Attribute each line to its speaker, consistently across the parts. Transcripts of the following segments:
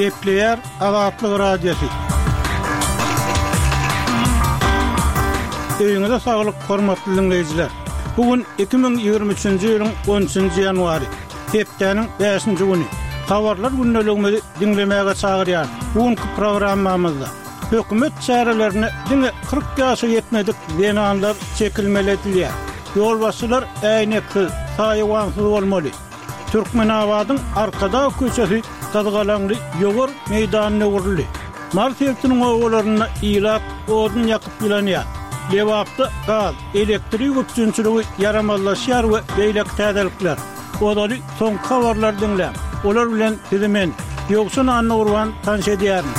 Speaker 1: Gepleýär Azatlyk Radiosy. Öýüňize saglyk, hormatly diňleýjiler! Bu gün 2023-nji ýylyň 13-nji ýanwary, hepdäniň bäşinji güni. Habarlar gündeligimizi diňlemäge çagyrýarys. Bu günki programmamyzda hökümet çärelerine diňe 40 ýaşa ýetmedik zenanlar çekilmeli edilýär. Ýolbaşçylar äýneksiz, saýawansyz bolmaly. Türkmenabadyň Arkadag köçesi gyzgalaňly ýowar meýdanyna öwrüldi. Mary sebitiniň obalarynda ilat odun ýakyp ýylanýar. Lebapda gaz, elektrik üpjünçiligi ýaramazlaşýar we beýleki täzelikler. Ozaly soňky habarlary diňläň. Olar bilen sizi men, Ýowşan Annagurban tanyş edýärin.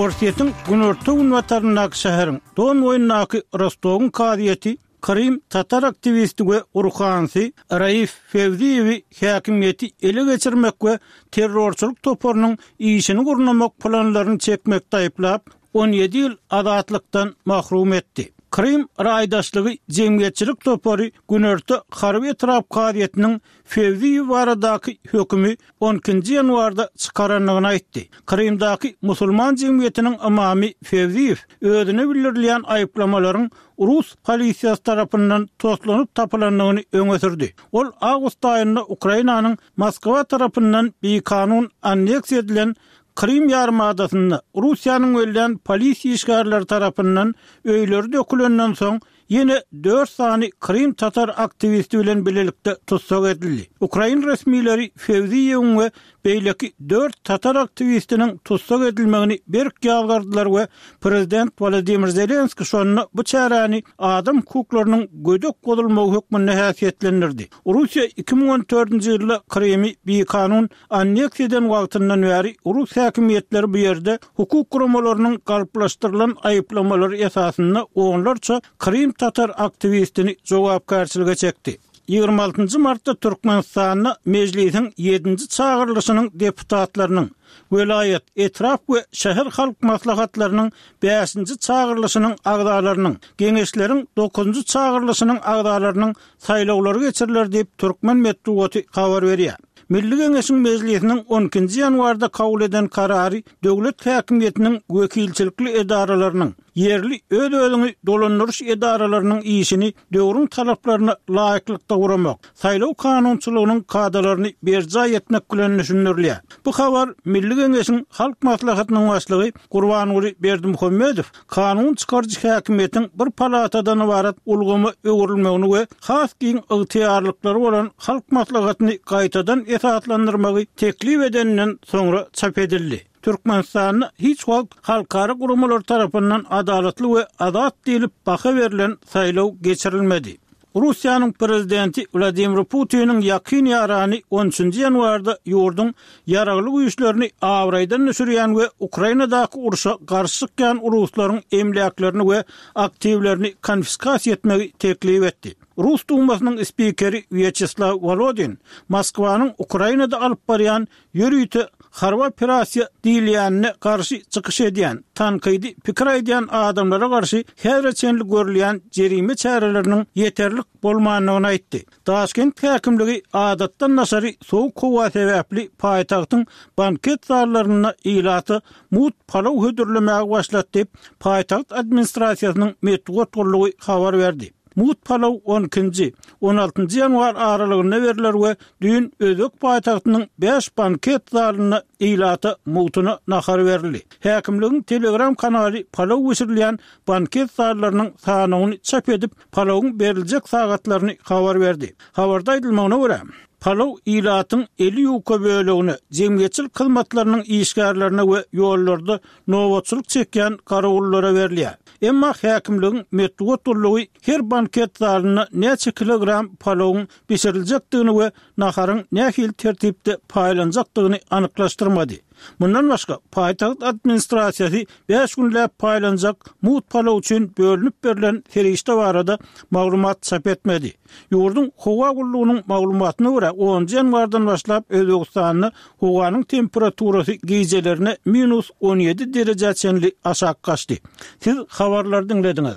Speaker 1: Orsýetiň günorta-günbataryndaky şäheriň, Don boýundaky Rostowyň kazyýeti Krym tatar aktiwisti we ruhanysy Raif Fewziýewi häkimiýeti ele geçirmek we terrorçylyk toparynyň işini gurnamak planlaryny çekmekde aýyplap, 17 ýyl azatlykdan mahrum etdi. Krym raýdaşlygy jemgyýetçilik topary Günorta harby etrap kazyýetiniň Fewziýew baradaky hökümi on ikinji ýanwarda çykarandygyny aýtdy. Krymdaky musulman jemgyýetiniň ymamy Fewziýew özüne bildirilýän aýyplamalaryň rus polisiýasy tarapyndan toslanyp tapylandygyny öňe sürdi. Ol awgust aýynda Ukrainanyň Moskwa tarapyndan bikanun anneksiýa edilen Krym ýarymadasynda Russiýanyň bellän polisiýa işgärleri tarapyndan öýleri dökülenden soň ýene dört sany krym tatar aktiwisti bilen bilelikde tussag edildi. Ukrain resmileri Fewziýewiň we beýleki dört tatar aktiwistiniň tussag edilmegini berk ýazgardylar we prezident Wolodymyr Zelenskiý şonda bu çäräni adam hukuklarynyň gödek bozulmagy hökmünde häsiýetlendirdi. Russiýa 2014-nji ýylda Krymy bikanun anneksiýa eden wagtyndan bäri rus häkimiýetleri bu ýerde hukuk guramalarynyň galplaşdyrylan aýyplamalary esasynda onlarça krym tatar aktiwistini jogapkärçilige çekdi. 26 nji martda Türkmenistanda Mejlisiň ýedinji çagyrylyşynyň deputatlarynyň, welaýat, etrap we şäher halk maslahatlarynyň bäşinji çagyrylyşynyň agzalarynyň, Geňeşleriň dokuzynjy çagyrylyşynyň agzalarynyň saýlawlary geçiriler diýip, türkmen metbugaty habar berýär. Milli Geňeşiň Mejlisiniň on ikinji ýanwarda kabul eden karary döwlet häkimiýetiniň wekilçilikli edaralarynyň, ýerli öz-özüňi dolandyryş edaralarynyň işini döwrüň talaplaryna laýyklykda guramak, saýlaw kanunçylygynyň kadalaryny berjaý etmek bilen düşündirilýär. Bu habar Milli Geňeşiň Halk Maslahatynyň Başlygy Gurbanguly Berdimuhamedow kanun çykaryjy häkimiýetiň bir palatadan ybarat ulgama öwrülmegini we has giň ygtyýarlyklary bolan Halk Maslahatyny gaýtadan esaslandyrmagy teklip edeninden soňra çap edildi. Türkmenistanda hiç wagt halkara guramalary tarapyndan adalatly we azat diýlip baha berlen saýlaw geçirilmedi. Russiýanyň prezidenti Wladimir Putiniň ýakyn ýarany on üçünji ýanwarda ýurduň ýaragly güýçlerini abraýdan düşürýän we Ukrainadaky urşa garşy çykýan ruslaryň emläklerini we aktiwlerini konfiskasiýa etmegi teklip etdi. Rus Dumasynyň spikeri Wýaçeslaw Wolodin Moskwanyň Ukrainada alyp barýan Ýörite harby operasiýa diýilýänine garşy çykyş edýän, tankydy pikir aýdýan adamlara garşy häzire çenli görülýän jerime çäreleriniň ýeterlik bolmandygyny aýtdy. Daşkent häkimligi adatdan daşary sowuk howa sebäpli paýtagtyň banket zallarynda ilata mugt palaw hödürlemäge başlady diýip, paýtagt administrasiýasynyň metbugat gullugy habar berdi. Mugt palaw on ikinji, on altynjy ýanwar aralygynda berler we düýn özbek paýtagtynyň bäş banket zalynda ilata mugtuna nahar berildi. Häkimligiň Telegram kanaly palaw bişirilýän banket zallarynyň sanawyny çap edip, palawyň beriljek sagatlaryny habar berdi. Habarda aýdylmagyna görä, palaw ilatyň eli ýuka bölegine, jemgyýetçilik hyzmatlarynyň işgärlerine we ýollarda nobatçylyk çekýän garawullara berilýär. Emma häkimligiň metbugat gullugy her banket zalynda näçe kilogram palawyň bişiriljekdigini we naharyň nähili tertipde paýlanjakdygyny anyklaşdyrmady. Mundan başga, paýtagt administrasiýasy bäş günläp paýlanjak mugt palaw üçin bölünip berlen serişde barada maglumat çap etmedi. Ýurduň howa gullugynyň maglumatyna görä, onunjy ýanwardan başlap Özbegistanda howanyň temperaturasy gijelerine minus 17 derejä çenli aşak gaçdy. Siz habarlary diňlediňiz.